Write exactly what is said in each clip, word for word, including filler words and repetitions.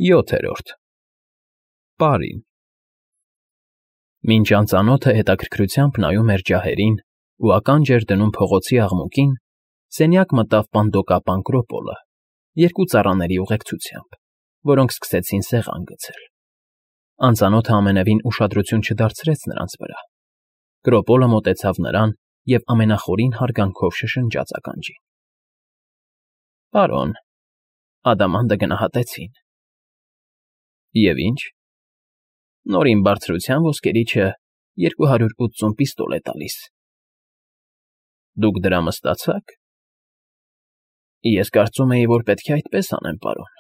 ՅՈԹԵՐՈՐԴ Պարին Մինչ անծանոթը հետաքրքրությամբ նայում էր ջահերին ու ականջ էր դնում փողոցի աղմուկին, սենյակ մտավ պանդոկապան Կրոպոլը, երկու ծառաների ուղեկցությամբ, որոնք սկսեցին սեղան գցել. անծանոթը ամենևին ուշադրություն չդարձրեց նրանց վրա. Կրոպոլը մոտեցավ նրան և ամենախորին հարգանքով շշնջաց ականջին. ֊ Պարոն, ադամանդը գնահատեցին։ ֊ Եվ ինչ։ ֊ Նորին բարձրության ոսկերիչը երկու հարյուր ութսուն պիստոլ է տալիս։ ֊ Դուք դրա մստացա՞ք։ ֊ Ես կարծում էի, որ պետք է այդպես անեմ, պարոն,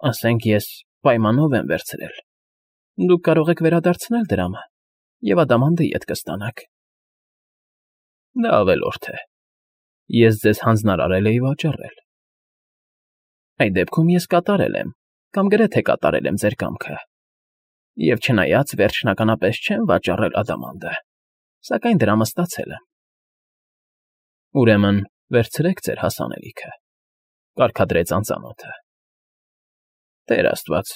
ասենք ես պայմանով եմ վերցրել, դուք կարող եք վերադարձնել դրամը և ադամանդը ետ կստանաք։ ֊ Դա ավելորդ է, ես ձեզ հանձնարարել էի վաճառել։ ֊ Այդ դեպքում ես կատարել եմ կամ գրեթե կատարել եմ ձեր կամքը, և չնայած վերջնականապես չեմ վաճառել ադամանդը, սակայն դրամը ստացել եմ։ ֊ Ուրեմն վերցրեք ձեր հասանելիքը,֊ կարգադրեց անծանոթը։ ֊ Տեր աստված,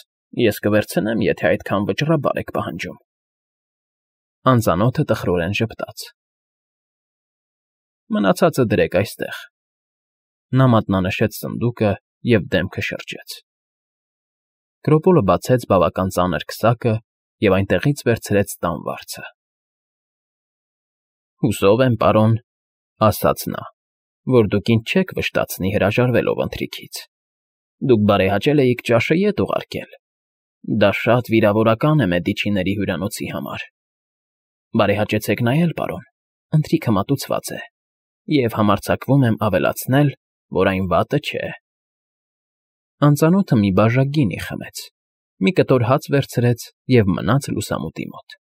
ես կվերցնեմ, եթե այդքան վճռաբար եք պահանջում։ Անծանոթը տխրորեն ժպտաց։ ֊ Մնացածը դրեք այստեղ։ Նա մատնանշեց սնդուկը և դեմքը շրջեց։ Կրոպոլը բացեց բավական ծանր քսակը և այնտեղից վերցրեց տան վարձը։ ֊ Հուսով եմ, պարոն,֊ ասաց նա,֊ որ դուք ինձ չեք վշտացնի հրաժարվելով ընթրիքից։ Դուք բարեհաճել էիք ճաշը ետ ուղարկել։ Դա շատ վիրավորական է Մեդիչիների հյուրանոցի համար։ Բարեհաճեցեք նայել, պարոն, ընթրիքը մատուցված է, և համարձակվում եմ ավելացնել, որ այն վատը չէ։ Անծանոթը մի բաժակ գինի խմեց, մի կտոր հաց վերցրեց և մնաց լուսամուտի մոտ։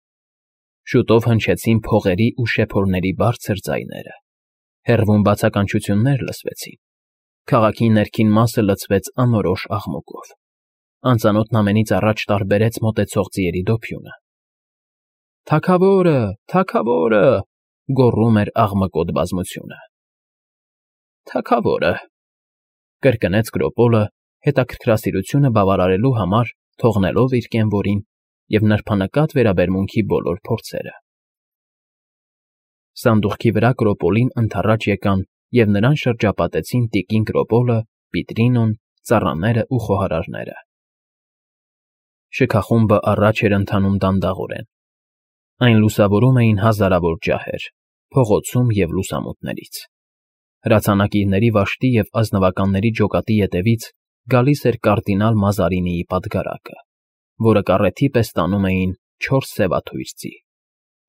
Շուտով հնչեցին փողերի ու շեփորների բարձր ձայները, հեռվում բացականչություններ լսվեցին, քաղաքի ներքին մասը լցվեց անորոշ աղմուկով։ Անծանոթն ամենից առաջ տարբերեց մոտեցող ձիերի դոփյունը։ «Թագավո՜րը, թագավո՜րը…֊ գոռում էր աղմկոտ բազմությունը։ ֊ Թագավո՜րը…֊ կրկնեց Կրոպոլը, հետաքրքրասիրությունը բավարարելու համար թողնելով իր կենվորին և նրբանկատ վերաբերմունքի բոլոր փորձերը։ Սանդուղքի վրա Կրոպոլին ընդառաջ եկան և նրան շրջապատեցին տիկին Կրոպոլը, Պիտրինոն, ծառաներն ու խոհարարները։ Շքախումբը առաջ էր ընթանում դանդաղորեն։ Այն լուսավորում էին հազարավոր ջահեր փողոցում և լուսամուտներից։ Հրացանակիրների վաշտի և ազնվականների ջոկատի ետևից գալիս էր կարդինալ Մազարինիի պատգարակը, որը կառեթի պես տանում էին չորս սևաթույր ձի։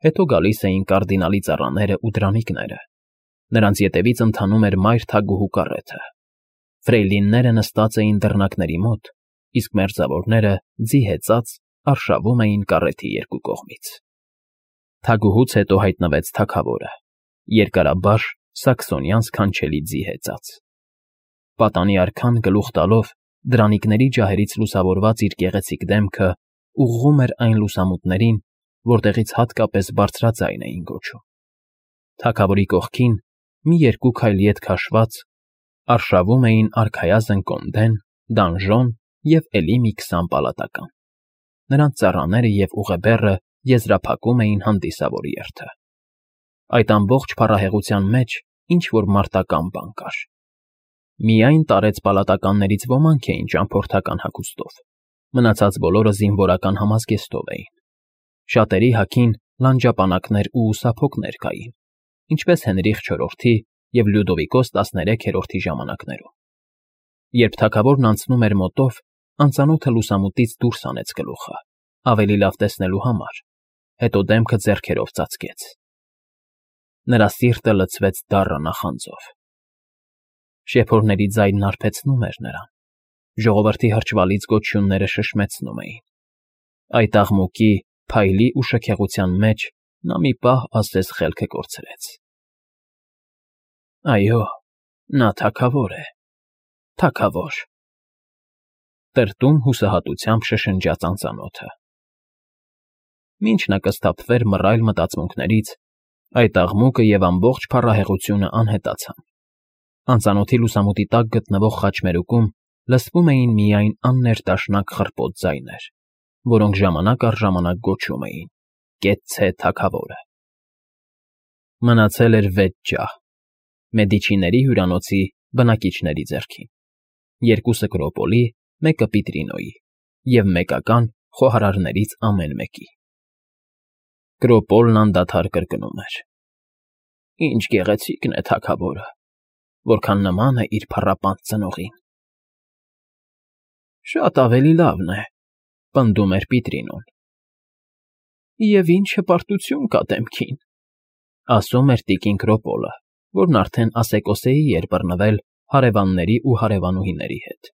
Հետո գալիս էին կարդինալի ծառաներն ու դրանիկները։ Նրանց ետևից ընթանում էր մայր թագուհու կարեթը։ Ֆրեյլինները նստած էին դռնակների մոտ, իսկ մերձավորները, ձի հեծած, արշավում էին կառեթի երկու կողմից։ Թագուհուց հետո հայտնվեց թագավորը՝ երկարաբաշ սաքսոնյան սքանչելի ձի հեծած։ Պատանի արքան գլուխ տալով դրանիկների ջահերից լուսավորված իր գեղեցիկ դեմքը ուղղում էր այն լուսամուտներին, որտեղից հատկապես բարձրաձայն էին գոչում։ Թագավորի կողքին, մի երկու քայլ ետ քաշված, արշավում էին արքայազն կոնդեն, դանժոն և էլի մի քսան պալատական։ Նրանց ծառաները և ուղեբեռը եզրափակում էին հանդիսավոր երթը։ Այդ ամբողջ փառահեղության մեջ ինչ֊որ մարտական բան կար։ Միայն տարեց պալատականներից ոմանք էին ճամփորդական հագուստով, մնացած բոլորը զինվորական համազգեստով էին։ Շատերի հագին լանջապանակներ ու ուսափոկներ կային, ինչպես Հենրիխ չորրորդի և Լյուդովիկոս տասներեքերորդի ժամանակներում։ Երբ թագավորն անցնում էր մոտով, անծանոթը լուսամուտից դուրս հանեց գլուխը, ավելի լավ տեսնելու համար, հետո դեմքը ձեռքերով ծածկեց։ Նրա սիրտը լցվեց դառը նախանձով։ Շեփորների ձայնն հարբեցնում էր նրան, ժողովրդի հրճվալից գոչյունները շշմեցնում էին։ Այդ աղմուկի, փայլի ու շքեղության մեջ նա մի պահ ասես խելքը կորցրեց։ Այո, նա թագավոր է, թագավոր…֊ տրտում հուսահատությամբ շշնջաց անծանոթը։ Մինչ նա կսթափվեր մռայլ մտածմունքներից, այդ աղմուկը և ամբողջ փառահեղությունը անհետացան։ Անծանոթի լուսամուտի տակ գտնվող խաչմերուկում լսվում էին միայն աններտաշնակ խռպոտ ձայներ, որոնք ժամանակ առ ժամանակ գոչում էին. «Կեցցե թագավորը»։ Մնացել էր վեց ջահ՝ Մեդիչիների հյուրանոցի բնակիչների ձեռքին, երկուսը Կրոպոլի, մեկը Պիտրինոյի և մեկական խոհարարներից ամեն մեկի։ Կրոպոլն անդադար կրկնում էր. «Ինչ գեղեցիկն է թագավորը, որքան նման է իր փառապանծ ծնողին»։ «Շատ ավելի լավն է», ֊ պնդում էր Պիտրինոն։ «Եվ ինչ հպարտություն կա դեմքին», ֊ ասում էր տիկին Կրոպոլը, որն արդեն ասեկոսեի էր բռնվել հարևանների ու հարևանուհիների հետ։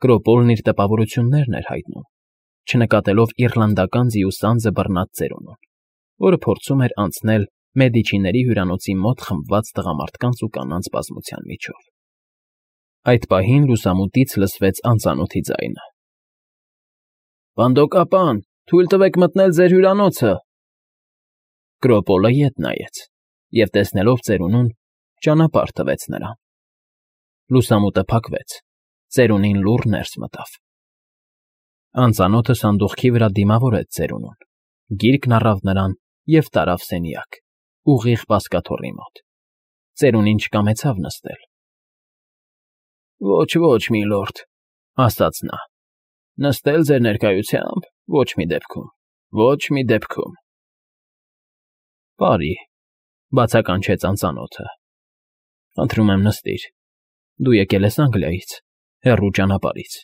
Կրոպոլն իր տպավորություններն էր հայտնում, չնկատելով իռլանդական ձիուսանձը բռնած ծերունուն, որը փորձում էր անցնել Մեդիչիների հյուրանոցի մոտ խմբված տղամարդկանց ու կանանց բազմության միջով։ Այդ պահին լուսամուտից լսվեց անծանոթի ձայնը. «Բանդոկապան, թույլ տվեք մտնել ձեր հյուրանոցը»։ Կրոպոլը ետ նայեց և, տեսնելով ծերունուն, ճանապարհ տվեց նրան։ Լուսամուտը փակվեց, ծերունին լուռ ներս մտավ։ Անծանոթը սանդուղքի վրա դիմավորեց ծերունուն, գիրկն առավ նրան և տարավ սենյակ, ուղիղ բազկաթոռի մոտ։ Ծերունին չկամեցավ նստել։ «Ոչ, ոչ, միլորդ», ֊ ասաց նա, ֊ «նստել ձեր ներկայությամբ ոչ մի դեպքում, ոչ մի դեպքում»։ «Պարի», ֊ բացականչեց անծանոթը, ֊ «խնդրում եմ նստիր, դու եկել ես Անգլիայից, հեռու ճանապարհից։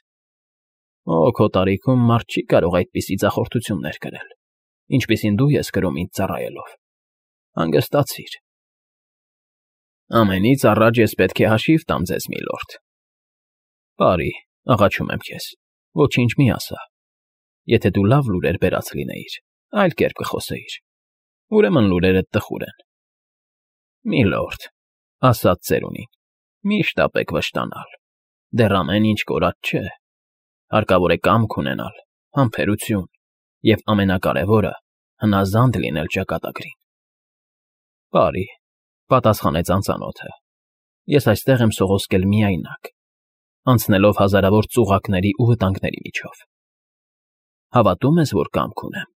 Օ, քո տարիքում մարդ չի կարող այդպիսի ձախորդություններ կրել, ինչպիսին դու ես կրում ինձ ծառայելով։ Հանգստացիր»։ «Ամենից առաջ ես պետք է հաշիվ տամ ձեզ, միլորդ»։ «Պարի, աղաչում եմ քեզ, ոչինչ մի ասա։ Եթե դու լավ լուրեր բերած լինեիր, այլ կերպ կխոսեիր, ուրեմն լուրերդ տխուր են»։ «Միլորդ», ֊ ասաց ծերունին, ֊ «մի շտապեք վշտանալ, դեռ ամեն ինչ կորած չէ։ Հարկավոր է կամք ունենալ, համբերություն և, ամենակարևորը, հնազանդ լինել ճակատագրին»։ «Պարի», ֊ պատասխանեց անծանոթը, ֊ «ես այստեղ եմ սողոսկել միայնակ, անցնելով հազարավոր ծուղակների ու վտանգների միջով։ Հավատո՞ւմ ես, որ կամք ունեմ։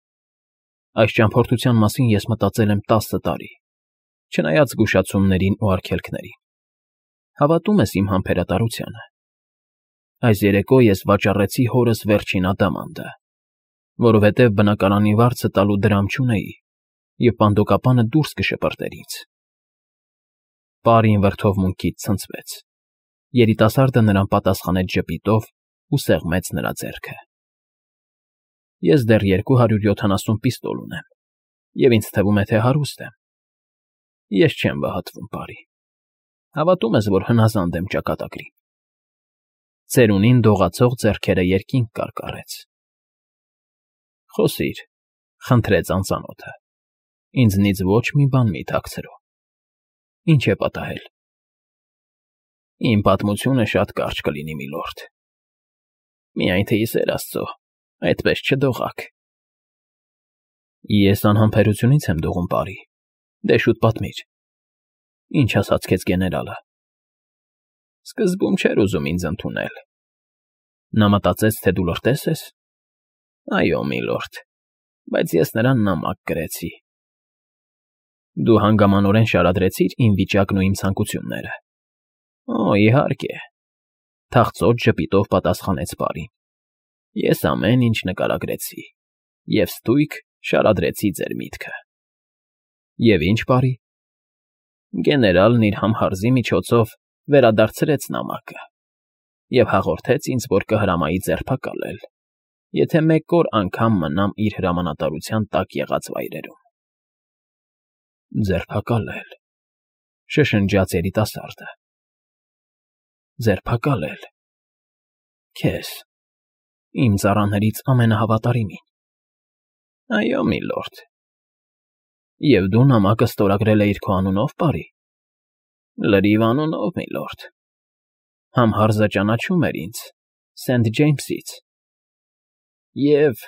Այս ճամփորդության մասին ես մտածել եմ տասը տարի, չնայած զգուշացումներին ու արգելքներին։ Հավատո՞ւմ ես իմ համբերատարությանը։ Այս երեկո ես վաճառեցի հորս վերջին ադամանդը, որովհետև բնակարանի վարձը տալու դրամ չունեի, և բանդոկապանը դուրս կշպրտեր ինձ»։ Պարին վրդովմունքից ցնցվեց։ Երիտասարդը նրան պատասխանեց ժպիտով ու սեղմեց նրա ձեռքը։ «Ես դեռ երկու հարյուր յոթանասուն պիստոլ ունեմ, և ինձ թվում է, թե հարուստ եմ։ Ես չեմ վհատվում, պարի։ Հավատո՞ւմ ես, որ հնազանդ եմ ճակատագրին»։ Ծերունին դողացող ձեռքերը երկինք կարկառեց։ «Խոսիր», ֊ խնդրեց անծանոթը, ֊ «ինձնից ոչ մի բան մի թաքցրու։ Ինչ է պատահել»։ «Իմ պատմությունը շատ կարճ կլինի, միլորդ։ Միայն թե, ի սեր աստծո, այդպես չդողաք»։ «Ես անհամբերությունից եմ դողում, պարի, դե շուտ պատմիր։ Ինչ ասաց քեզ գեներալը»։ «Սկզբում չէր ուզում ինձ ընդունել։ Նա մտածեց, թե դու լրտես ես։ Այո, միլորդ, բայց ես նրան նամակ գրեցի»։ «Դու հանգամանորեն շարադրեցիր իմ վիճակն ու իմ ցանկությունները»։ «Օ, իհարկե», ֊ թախծոտ ժպիտով պատասխանեց պարին, ֊ «ես ամեն ինչ նկարագրեցի և ստույգ շարադրեցի ձեր միտքը»։ «Եվ ինչ, պարի»։ «Գեներալն իր համհարզի միջոցով վերադարձրեց նամակը և հաղորդեց ինձ, որ կհրամայի ձերբակալել, եթե մեկ օր անգամ մնամ իր հրամանատարության տակ եղած վայրերում»։ «Ձերբակալել», ֊ շշնջաց երիտասարդը, ֊ ձերբակալել… Քեզ, իմ ծառաներից ամենահավատարիմին։ «Այո, միլորդ»։ «Եվ դու նամակը ստորագրել էիր քո անունո՞վ, պարի»։ «Լրիվ անունով, միլորդ։ Համհարզը ճանաչում էր ինձ Սենթ Ջեյմսից և»,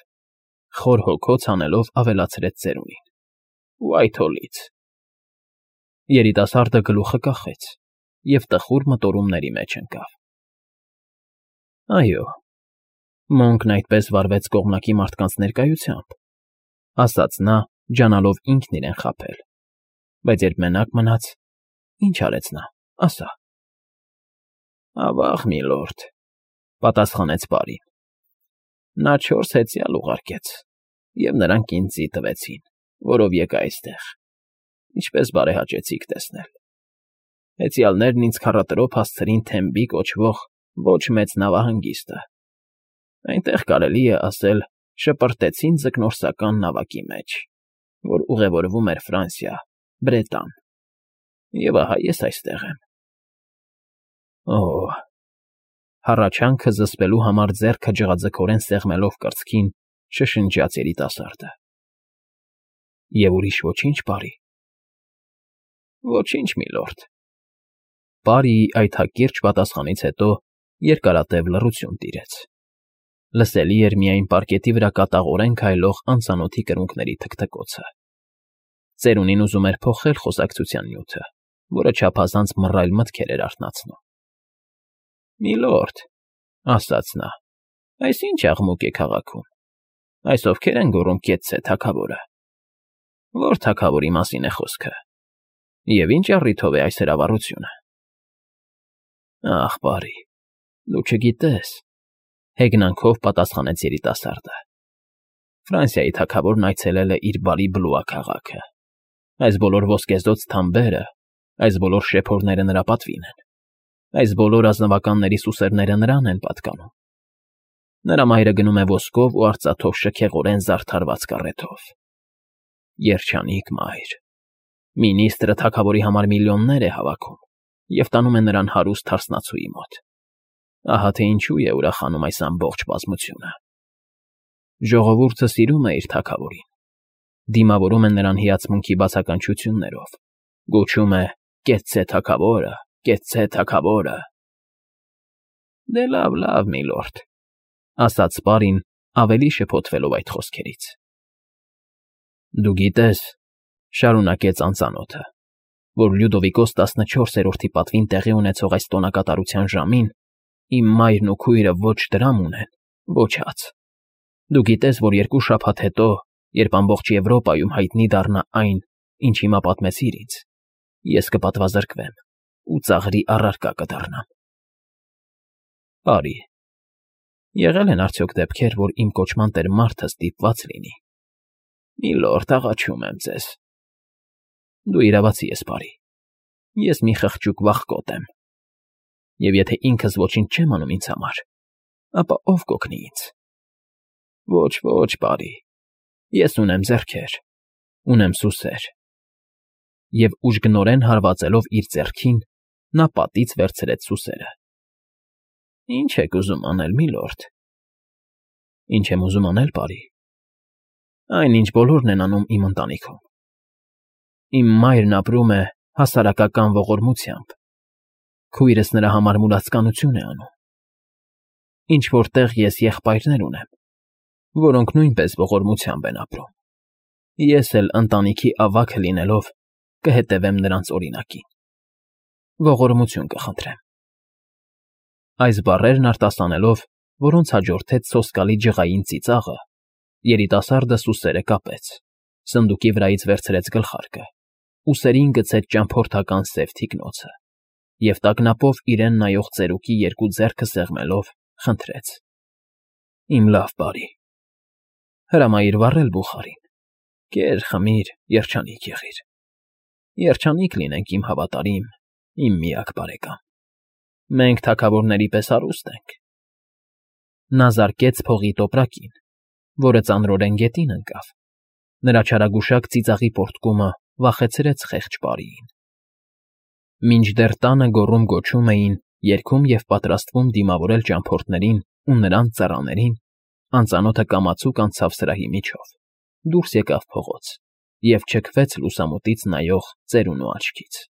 խոր հոգոց հանելով ավելացրեց ծերունին, «Ուայթհոլից»։ Երիտասարդը գլուխը կախեց և տխուր մտորումների մեջ ընկավ։ Այո, Մոնքն այդպես վարվեց կողմնակի մարդկանց ներկայությամբ, ասաց նա, ջանալով ինքն իրեն խաբել, բայց երբ մենակ մնաց, ինչ արեց նա, ասա։ Ավաղ, միլորդ, պատասխանեց պարին, նա չորս հեծյալ ուղարկեց, և նրանք ինձ ձի տվեցին, որով եկա այստեղ, ինչպես բարեհաճեցիք տեսնել։ Հեծյալներն ինձ քառատրոփ հասցրին Թեմբի կոչվող ոչ մեծ նավահանգիստը, այնտեղ կարելի է ասել շպրտեցին ձկնորսական նավակի մեջ, որ ուղևորվում էր Ֆրանսիա, Բրետան, և ահա ես այստեղ եմ։ Օ՜, հառաչանքը զսպելու համար ձեռքը ջղաձգորեն սեղմելով կրծքին, շշնջաց երիտասարդը։ Եվ ուրիշ ոչինչ, պարի։ Ոչինչ, միլորդ։ Պարիի այդ հակիրճ պատասխանից հետո երկարատև լռություն տիրեց։ Լսելի էր միայն պարկետի վրա կատաղորեն քայլող անծանոթի կրունկների թքթքոցը։ Ծերունին ուզում էր փոխել խոսակցության նյութը, որը չափազանց մռայլ մտքեր էր արթնացնում։ Միլորդ, ասաց նա, այս ինչ աղմուկ է քաղաքում։ Այս ովքեր են գոռում կեցցե թագավորը։ Ո՞ր թագավորի մասին է խոսքը։ Եվ ինչ առիթով է այս հրավառությունը։ Ախ, պարի, դու չգիտես, հեգնանքով պատասխանեց երիտասարդը։ Ֆրանսիայի թագավորն այցելել է իր բարի Բլուա քաղաքը։ Այս բոլոր ոսկեզօծ թամբերը, այս բոլոր շեփորները նրա պատվին են։ Այս բոլոր ազնվականների սուսերները նրան են պատկանում։ Նրա մայրը գնում է ոսկով ու արծաթով շքեղորեն զարդարված կառեթով։ Երջանիկ մայր։ Մինիստրը թագավորի համար միլիոններ է հավաքում և տանում է նրան հարուստ հարսնացուի մոտ։ Ահա թե ինչու է ուրախանում այս ամբողջ բազմությունը։ Ժողովուրդը սիրում է իր թագավորին, դիմավորում է նրան հիացմունքի բացականչություններով, գոչում է «Կեցցե թագավորը, կեցցե թագավորը»։ Դե լավ, լավ, միլորդ, ասաց պարին, ավելի շփոթվելով այդ խոսքերից։ Դու գիտես, շարունակեց անծանոթը, որ Լյուդովիկոս տասնչորսերորդի պատվին տեղի ունեցող այս տոնակատարության ժամին իմ մայրն ու քույրը ոչ դրամ ունեն, ոչ հաց։ Դու գիտես, որ երկու շաբաթ հետո, երբ ամբողջ Եվրոպայում հայտնի դառնա այն, ինչ հիմա պատմեցիր ինձ, ես կպատվազրկվեմ ու ծաղրի առարկա կդառնամ։ Պարի, եղել են արդյոք դեպքեր, որ իմ կոչման տեր մարդը ստիպված լինի։ Միլորդ, աղաչում եմ ձեզ։ Դու իրավացի ես, պարի։ Ես մի խղճուկ վախկոտ եմ։ Եվ եթե ինքս ոչինչ չեմ անում ինձ համար, ապա ով կօգնի ինձ։ Ոչ, ոչ, պարի, ես ունեմ ձեռքեր, ունեմ սուսեր։ Եվ ուժգնորեն հարվածելով իր ձեռքին, նա պատից վերցրեց սուսերը։ Ինչ եք ուզում անել, միլորդ։ Ինչ եմ ուզում անել, պարի։ Այն, ինչ բոլորն են անում իմ ընտանիքում։ Իմ մայրն ապրում է հասարակական ողորմությամբ։ Քույրս նրա համար մուրացկանություն է անում։ Ինչ-որ տեղ ես եղբայրներ ունեմ, որոնք նույնպես ողորմությամբ են ապրում։ Ես էլ ընտանիքի ավագը լինելով կհետևեմ նրանց օրինակին։ Ողորմություն կխնդրեմ։ Այս բառերն արտասանելով, որոնց հաջորդեց սոսկալի ջղային ծիծաղը, երիտասարդը սուսերը կապեց, սնդուկի վրայից վերցրեց գլխարկը, ուսերին գցեց ճամփորդական սև թիկնոցը և տագնապով իրեն նայող ծերուկի երկու ձեռքը սեղմելով խնդրեց. Իմ լավ բարի, հրամայիր վառել բուխարին, կեր, խմիր, երջանիկ եղիր, երջանիկ լինենք իմ հավատարիմ, իմ միակ բարեկամ, մենք թագավորների պես հարուստ ենք։ Նա զարկեց փողի տոպրակին, որը ծանրորեն գետին ընկավ, նրա չարագուշակ ծիծաղի պոռթկումը վախեցրեց խեղճ պարիին։ Մինչդեռ տանը գոռում֊գոչում էին, երգում և պատրաստվում դիմավորել ճամփորդներին ու նրանց ծառաներին, անծանոթը կամացուկ անցավ սրահի միջով, դուրս եկավ փողոց և չքվեց լուսամուտից նայող ծերունու աչքից։